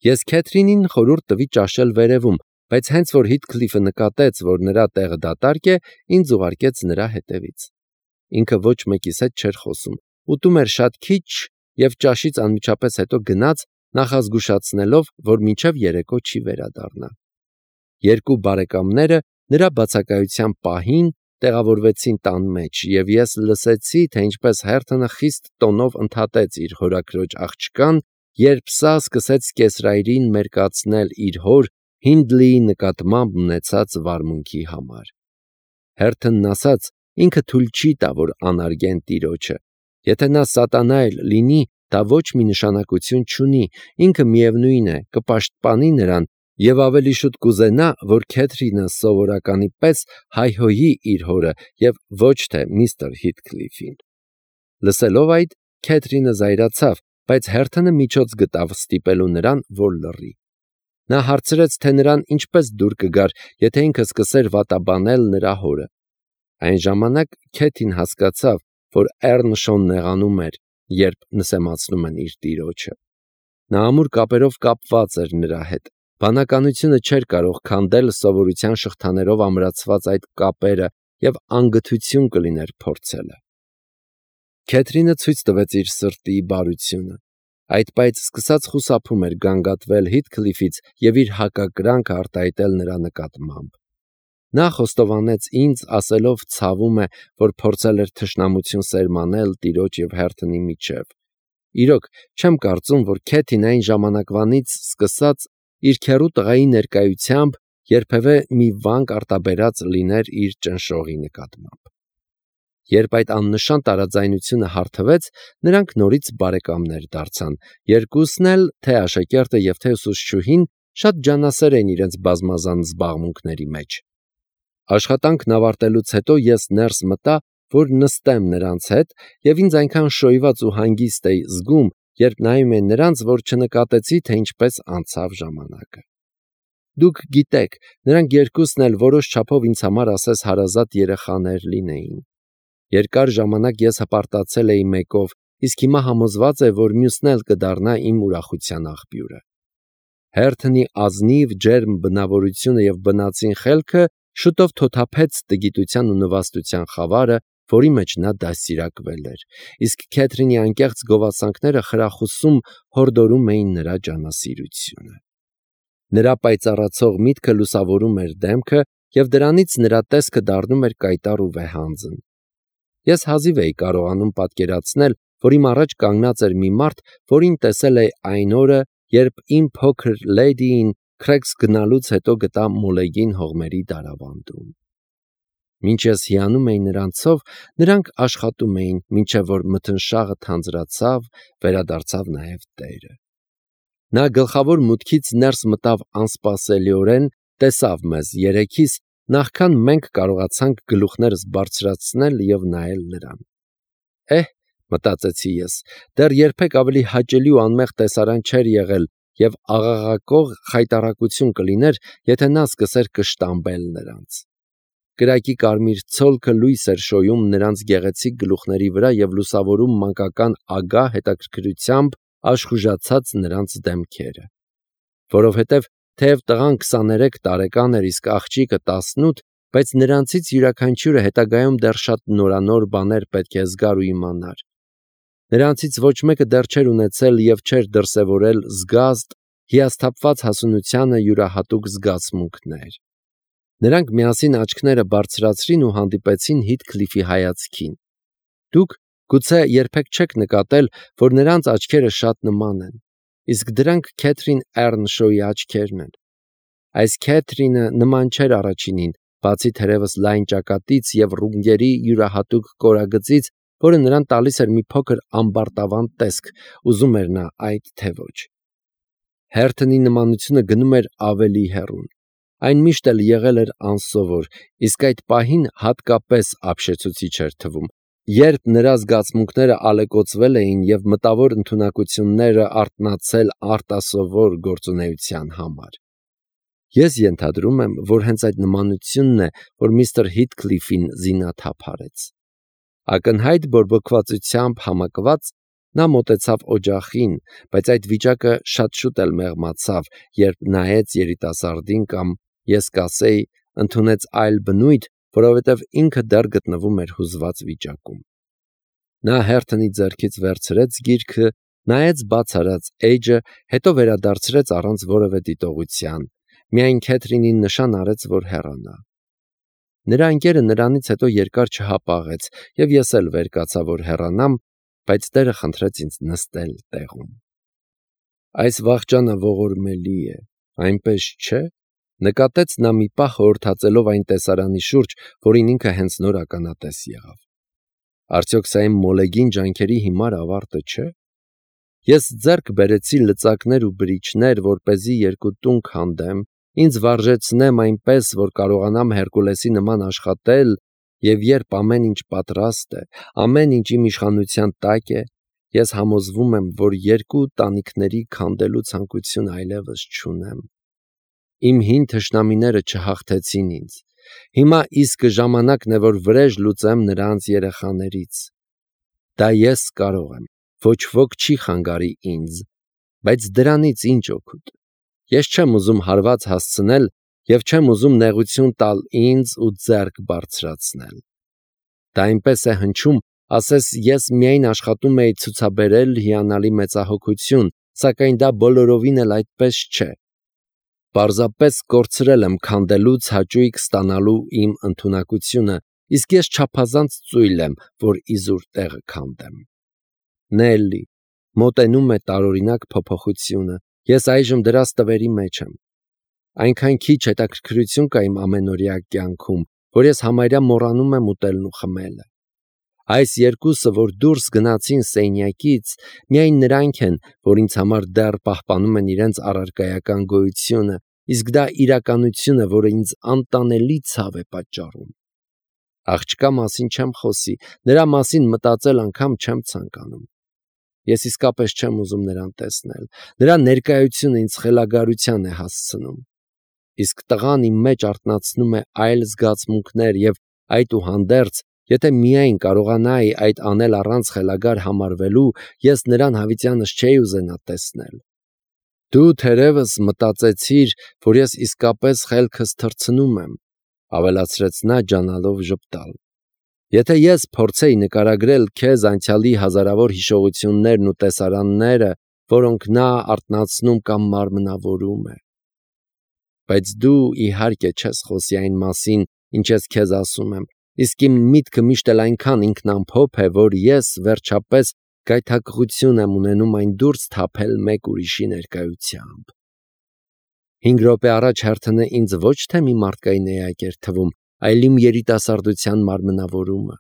Ես Քեթրինին խորհուրդ տվի ճաշել վերևում, բայց հենց որ Հիթքլիֆը նկատեց, որ նրա տեղը դատարկ է, ինձ ուղարկեց նրա հետևից։ Ինքը ոչ մեկիս հետ չէր խոսում, ուտում էր շատ քիչ և ճաշից անմիջապես հետո գնաց, նախազգուշացնելով, որ մինչև երեկո չի վերադառնա։ Երկու բարեկամները նրա բացակայության պահին տեղավորվեցին տան մեջ, և ես լսեցի, թե ինչպես Հերթոնը խիստ տոնով ընդհատեց իր հորաքրոջ աղջկան, երբ սա սկսեց կեսրայրին մերկացնել իր հոր Հինդլիի նկատմամբ ունեցած վարմունքի համար։ Հերթոնն ասաց, ինքը թույլ չի տա, որ անարգեն տիրոջը։ Եթե նա սատանա էլ լինի, դա ոչ մի նշանակություն չունի, ինքը միևնույն է, կպաշտպանի նրան և ավելի շուտ կուզենա, որ Քեթրինը սովորականի պես հայհոյի իր հորը և ոչ թե միստր Հիթքլիֆին։ Լսելով այդ, Քեթրինը զայրացավ, բայց Հերթոնը միջոց գտավ ստիպելու նրան, որ լռի։ Նա հարցրեց, թե նրան ինչպես դուր կգար, եթե ինքը սկսեր վատաբանել նրա հորը։ Այն ժամանակ Քեթին հասկացավ, որ Էռնշոն նեղանում էր, երբ նսեմացնում են իր տիրոջը։ Նա ամուր կապերով կապված էր նրա հետ։ Բանականությունը չէր կարող քանդել սովորության շղթաներով ամրացված այդ կապերը և անգթություն կլիներ փորձելը։ Քեթրինը ցույց տվեց իր սրտի բարությունը։ Այդ պայծ սկսած խուսափում էր գանգատվել Հիթքլիֆից և իր հակակրանքը արտահայտել նրա նկատմամբ։ Նա խոստովանեց ինձ, ասելով ցավում է, որ փորձել էր թշնամություն սերմանել տիրոջ և Հերթոնի միջև։ Իրոք, չեմ կարծում, որ Քեթին այն ժամանակվանից սկսած իր քեռու տղայի ներկայությամբ երբևէ մի վանք արտաբերած լիներ իր ճնշողի նկատմամբ։ Երբ այդ աննշան տարաձայնությունը հարթվեց, նրանք նորից բարեկամներ դարձան, երկուսն էլ, թե աշակերտը և թե ուսուցչուհին, շատ ջանասեր էին իրենց բազմազան զբաղմունքների մեջ։ Աշխատանքն ավարտելուց հետո ես ներս մտա, որ նստեմ նրանց հետ, և ինձ այնքան շոյված ու հանգիստ էի զգում, երբ նայում էի նրանց, որ չնկատեցի, թե ինչպես անցավ ժամանակը։ Դուք գիտեք, նրանք երկուսն էլ որոշ չափով ինձ համար ասես հարազատ երեխաներ լինեին։ Երկար ժամանակ ես հպարտացել էի մեկով, իսկ հիմա համոզված է, որ մյուսն էլ կդառնա իմ ուրախության աղբյուրը։ Հերթոնի ազնիվ, ջերմ բնավորությունը և բնածին խելքը շուտով թոթափեց տգիտության ու նվաստության խավարը, որի մեջ նա դաստիարակվել էր, իսկ Քեթրինի անկեղծ գովասանքները խրախուսում հորդորում էին նրա ջանասիրությունը։ Նրա պայծառացող միտքը լուսավորում էր դեմքը, և դրանից նրա տեսքը դառնում էր կայտառ ու վեհանձն։ Ես հազիվ էի կարողանում պատկերացնել, որ իմ առաջ կանգնած էր մի մարդ, որին տեսել էի այն օրը, երբ իմ փոքր լեյդիին Քրեքս գնալուց հետո գտա Մոլեգին հողմերի դարավանդում։ Մինչ ես հիանում էի նրանցով, նրանք աշխատում էին, մինչև որ մթնշաղը թանձրացավ, վերադարձավ նաև տերը։ Նա գլխավոր մուտքից ներս մտավ անսպասելիորեն, տեսավ մեզ երեքիս, նախքան մենք կարողացանք գլուխներս բարձրացնել և նայել նրան։ Մտածեցի ես, դեռ երբեք ավելի հաճելի ու անմեղ տեսարան չէր եղել, և աղաղակող խայտառակություն կլիներ, եթե նա սկսեր կշտամբել նրանց։ Կրակի կարմիր ցոլքը լույս էր շոյում նրանց գեղեցիկ գլուխների վրա և լուսավորում մանկական ագահ հետաքրքրությամբ աշխուժացած նրանց դեմքերը։ Որովհետև թեև տղան 23 տարեկան էր, իսկ աղջիկը 18, բայց նրանցից յուրաքանչյուրը հետագայում դեռ շատ նորանոր բաներ պետք է զգար ու իմանար։ Նրանցից ոչ մեկը դեռ չէր ունեցել և չէր դրսևորել զգաստ, հիասթափված հասունությանը յուրահատուկ զգացմունքներ։ Նրանք միասին աչքները բարձրացրին ու հանդիպեցին Հիթքլիֆի հայացքին։ Դուք գուցե երբեք չեք նկատել, որ նրանց աչքերը շատ նման են, իսկ դրանք Քեթրին Էռնշոյի աչքերն են։ Այս Քեթրինը նման չէր առաջինին, բացի թերևս լայն ճակատից և ռունգերի յուրահատուկ կորագծից, որը նրան տալիս էր մի փոքր ամբարտավան տեսք, ուզում էր նա այդ թե ոչ։ Հերթոնի նմանությունը գնում էր ավելի հեռուն։ Այն միշտ էլ եղել էր անսովոր, իսկ այդ պահին հատկապես ապշեցուցիչ էր թվում, երբ նրա զգացմունքները ալեկոծվել էին և մտավոր ընդունակությունները արթնացել արտասովոր գործունեության համար։ Ես ենթադրում եմ, որ հենց այդ նմանությունն է, որ միստր Հիթքլիֆին զինաթափ արեց։ Ակնհայտ բորբոքվածությամբ համակված Նա մոտեցավ օջախին, բայց այդ վիճակը շատ շուտ էլ մեղմացավ, երբ նայեց երիտասարդին կամ, ես կասեի, ընդունեց այլ բնույթ, որովհետև ինքը դեռ գտնվում էր հուզված վիճակում։ Նա հերթնի ձեռքից վերցրեց գիրքը, նայեց բաց արած էջը, հետո վերադարձրեց առանց որևէ դիտողության, միայն Քեթրինին նշան արեց, որ հեռանա։ Նրա ընկերը նրանից հետո երկար չհապաղեց, և ես էլ վեր կացա, որ հեռանամ, բայց Տերը խնդրեց ինձ նստել տեղում։ Այս վախճանը ողորմելի է, այնպես չէ՞, նկատեց նա մի պահ խորհրդածելով այն տեսարանի շուրջ, որին ինքը հենց նոր ականատես եղավ։ Արդյոք սա իմ մոլեգին ջանքերի հիմար ավարտը չէ՞։ Ես ձեռք բերեցի լծակներ ու բրիչներ, որպեսզի երկու տուն քանդեմ, ինձ վարժեցնեմ այնպես, որ կարողանամ Հերկուլեսի նման աշխատել, և երբ ամեն ինչ պատրաստ է, ամեն ինչ իմ իշխանության տակ է, ես համոզվում եմ, որ երկու տանիքների քանդելու ցանկություն այլևս չունեմ։ Իմ հին թշնամիները չհաղթեցին ինձ։ Հիմա իսկը ժամանակն է, որ վրեժ լուծեմ նրանց երեխաներից։ Դա ես կարող եմ, ոչ ոք չի խանգարի ինձ, բայց դրանից ինչ օգուտ։ Ես չեմ ուզում հարված հասցնել և չեմ ուզում նեղություն տալ ինձ ու ձեռք բարձրացնել։ Դա այնպես է հնչում, ասես ես միայն աշխատում էի ցուցաբերել հիանալի մեծահոգություն, սակայն դա բոլորովին էլ այդպես չէ։ Պարզապես կորցրել եմ քանդելուց հաճույք ստանալու իմ ընդունակությունը, իսկ ես չափազանց ծույլ եմ, որ իզուր տեղը քանդեմ։ Նելլի, մոտենում է տարօրինակ փոփոխությունը, ես այժմ դրա ստվերի մեջ եմ։ Այնքան քիչ հետաքրքրություն կա իմ ամենօրյա կյանքում, որ ես համարյա մոռանում եմ ուտելն ու խմելը։ Այս երկուսը, որ դուրս գնացին սենյակից, միայն նրանք են, որ ինձ համար դեռ պահպանում են իրենց առարկայական գոյությունը, իսկ դա իրականություն է, որը ինձ անտանելի ցավ է պատճառում։ Աղջկա մասին չեմ խոսի, նրա մասին մտածել անգամ չեմ ցանկանում։ Ես իսկապես չեմ ուզում նրան տեսնել, նրա ներկայությունը ինձ խելագարության է հասցնում։ Իսկ տղան իմ մեջ արթնացնում է այլ զգացմունքներ և այդուհանդերձ, եթե միայն կարողանայի այդ անել առանց խելագար համարվելու, ես նրան հավիտյանս չէի ուզենա տեսնել։ Դու թերևս մտածեցիր, որ ես իսկապես խելքս թռցնում եմ, ավելացրեց նա ջանալով ժպտալ։ Եթե ես փորձեի նկարագրել քեզ անցյալի հազարավոր հիշողություններն ու տեսարանները, որոնք նա արթնացնում կամ մարմնավորում է։ Բայց դու իհարկե չես խոսի այն մասին, ինչ ես քեզ ասում եմ, իսկ իմ միտքը միշտ էլ այնքան ինքնամփոփ է, որ ես, վերջապես, գայթակղություն եմ ունենում այն դուրս թափել մեկ ուրիշի ներկայությամբ։ 5 րոպե առաջ հերթը ինձ ոչ թե մի մարդկային էակ էր թվում, այլ իմ երիտասարդության մարմնավորումը։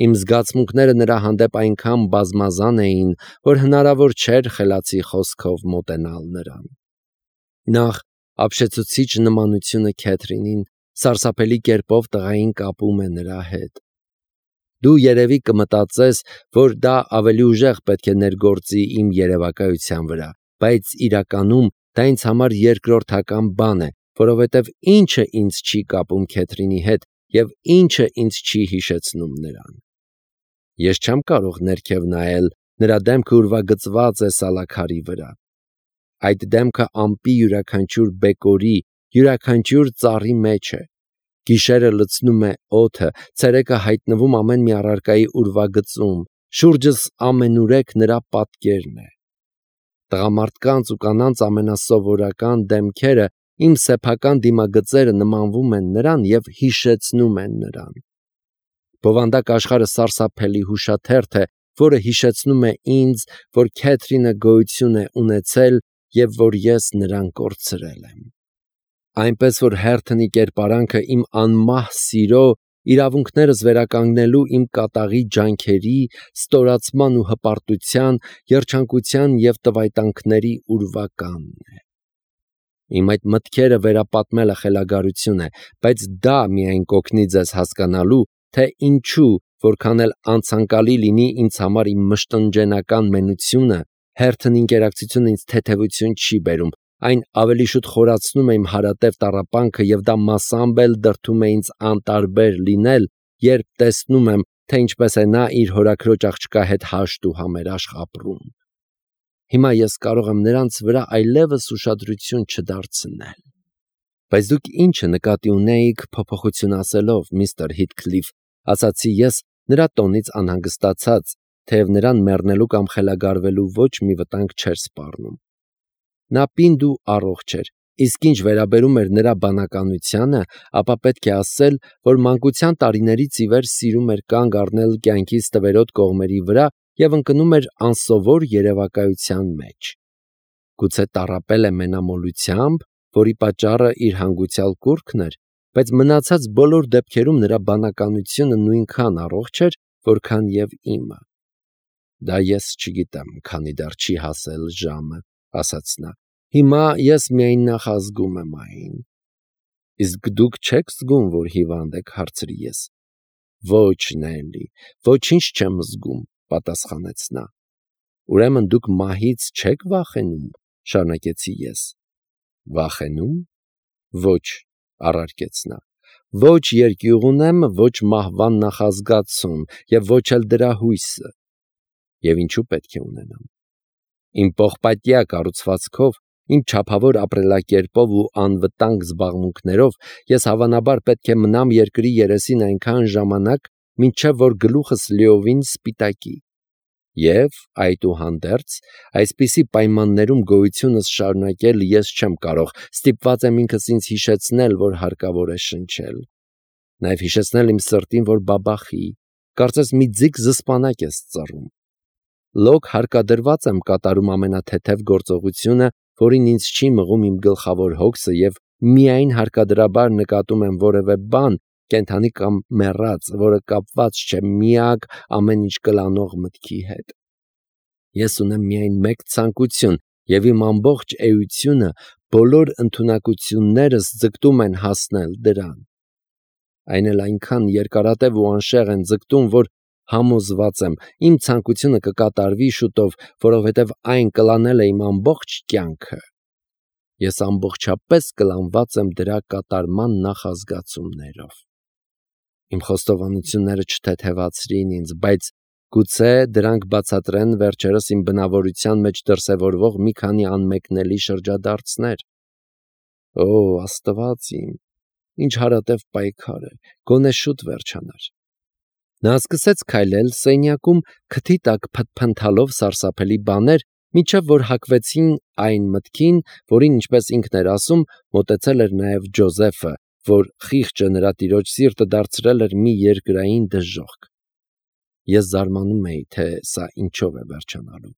Իմ զգացմունքները նրա հանդեպ այնքան բազմազան էին, որ հնարավոր չէր խելացի խոսքով մոտենալ նրան։ Նախ ապշեցուցիչ նմանությունը Քեթրինին սարսափելի կերպով տղային կապում է նրա հետ։ Դու երևի կմտածես, որ դա ավելի ուժեղ պետք է ներգործի իմ երևակայության վրա, բայց իրականում դա ինձ համար երկրորդական բան է, որովհետև ինչը ինձ չի կապում Քեթրինի հետ և ինչը ինձ չի հիշեցնում նրան։ Ես չեմ կարող ներքև նայել, նրա դեմքը ուրվագծված է սալաքարի վրա։ Այդ դեմքը ամպի յուրաքանչյուր բեկորի, յուրաքանչյուր ծառի մեջ է։ Գիշերը լցնում է օդը, ցերեկը հայտնվում ամեն մի առարկայի ուրվագծում, շուրջս ամենուրեք նրա պատկերն է։ Տղամարդկանց ու կանանց ամենասովորական դեմքերը, իմ սեփական դիմագծերը նմանվում են նրան և հիշեցնում են նրան։ Բովանդակ աշխարհը սարսափելի հուշաթերթ է, որը հիշեցնում է ինձ, որ Քեթրինը գոյություն է ունեցել և որ ես նրան կորցրել եմ։ Այնպես որ հերթնի կերպարանքը իմ անմահ սիրո, իրավունքներս վերականգնելու իմ կատաղի ջանքերի, ստորացման ու հպարտության, երջանկության և տվայտանքների ուրվականն է։ Իմ այդ մտքերը վերապատմելը խելագարություն է, բայց դա միայն կօգնի ձեզ հասկանալու, թե ինչու, որքան էլ անցանկալի լինի ինձ համար իմ մշտնջենական մենությունը, հերթն ինկերակցությունը ինձ թեթևություն չի բերում, այն ավելի շուտ խորացնում է իմ հարատև տառապանքը և դա մասամբ էլ դրդում է ինձ անտարբեր լինել, երբ տեսնում եմ, թե ինչպես է նա իր հորաքրոջ աղջկա հետ հաշտ ու համերաշխ ապրում։ Հիմա ես կարող եմ նրանց վրա այլևս ուշադրություն չդարձնել։ Բայց դուք ինչը նկատի ունեիք փոփոխություն ասելով, միստր Հիթքլիֆ, ասացի ես նրա տոնից անհանգստացած, թեև նրան մեռնելու կամ խելագարվելու ոչ մի վտանգ չէր սպառնում։ Նա պինդ ու առողջ էր, իսկ ինչ վերաբերում էր նրա բանականությանը, ապա պետք է ասել, որ մանկության տարիներից ի վեր սիրում էր կանգ առնել կյանքի ստվերոտ կողմերի վրա և ընկնում էր անսովոր երևակայության մեջ։ Գուցե տառապել է մենամոլությամբ, որի պատճառը իր հանգուցյալ կուռքն էր, բայց մնացած բոլոր դեպքերում նրա բանականությունը նույնքան առողջ էր, որքան և իմը։ Դա ես չգիտեմ, քանի դեռ չի հասել ժամը, ասաց նա։ Հիմա ես միայն նախազգում եմ այն։ Իսկ դուք չեք զգում, որ հիվանդ եք, հարցրի ես։ Ոչ, Նելի, ոչինչ չեմ զգում, պատասխանեց նա։ Ուրեմն դուք մահից չեք վախենում, շարունակեցի ես։ Վախենում։ Ոչ, առարկեց նա։ Ոչ երկյուղ ունեմ, ոչ մահվան նախազգացում և ոչ էլ դրա հույսը։ Եվ ինչու պետք է ունենամ։ Իմ պողպատյա կառուցվածքով, իմ չափավոր ապրելակերպով ու անվտանգ զբաղմունքներով ես հավանաբար պետք է մնամ երկրի երեսին այնքան ժամանակ, մինչև որ գլուխս լիովին սպիտակի։ Եվ, այդուհանդերձ, այսպիսի պայմաններում գոյությունս շարունակել ես չեմ կարող, ստիպված եմ ինքս ինձ հիշեցնել, որ հարկավոր է շնչել։ Նաև հիշեցնել իմ սրտին, որ բաբախի, կարծես մի ձիգ զսպանակ ես ծռում։ Լոկ հարկադրված եմ կատարում ամենաթեթև գործողությունը, որին ինձ չի մղում իմ գլխավոր հոգսը և միայն հարկադրաբար նկատում եմ որևէ բան, կենդանի կամ մեռած, որը կապված չէ միակ ամեն ինչ կլանող մտքի հետ։ Ես ունեմ միայն մեկ ցանկություն, և իմ ամբողջ էությունը, բոլոր ընդունակություններս ձգտում են հասնել դրան։ Այն էլ այնքան երկարատև ու անշեղ են ձգտում, որ համոզված եմ, իմ ցանկությունը կկատարվի շուտով, որովհետև այն կլանել է իմ ամբողջ կյանքը։ Ես ամբողջապես կլանված եմ դրա կատարման նախազգացումներով։ Իմ խոստովանությունները չթեթևացրին ինձ, բայց գուցե դրանք բացատրեն վերջերս իմ բնավորության մեջ դրսևորվող մի քանի անմեկնելի շրջադարձներ։ Օ, Աստված իմ, ինչ հարատև պայքար է, գոնե շուտ վերջանար։ Նա սկսեց քայլել սենյակում, քթի տակ փնթփնթալով սարսափելի բաներ, մինչև որ հակվեցին այն մտքին, որին, ինչպես ինքն էր ասում, մոտեցել էր նաև Ջոզեֆը, որ խիղճը նրա տիրոջ սիրտը դարձրել էր մի երկրային դժոխք։ Ես զարմանում էի, թե սա ինչով է վերջանալու։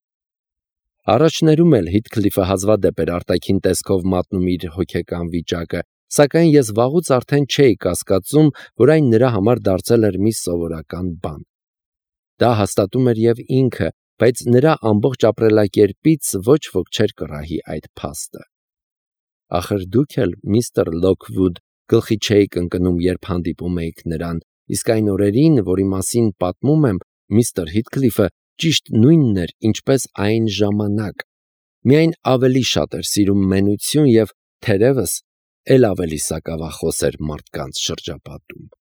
Առաջներում էլ Հիթքլիֆը հազվադեպ էր արտաքին տեսքով մատնում իր հոգեկան վիճակը, սակայն ես վաղուց արդեն չէի կասկածում, որ այն նրա համար դարձել էր մի սովորական բան։ Դա հաստատում էր և ինքը, բայց նրա ամբողջ ապրելակերպից ոչ ոք չէր կռահի այդ փաստը։ Ախր դուք էլ, միստր Լոքվուդ, գլխի չէիք ընկնում, երբ հանդիպում էիք նրան, իսկ այն օրերին, որի մասին պատմում եմ, միստր Հիթքլիֆը ճիշտ նույնն էր, ինչպես այն ժամանակ, միայն ավելի շատ էր սիրում մենություն և, թերևս, էլ ավելի սակավախոս էր մարդկանց շրջապատում։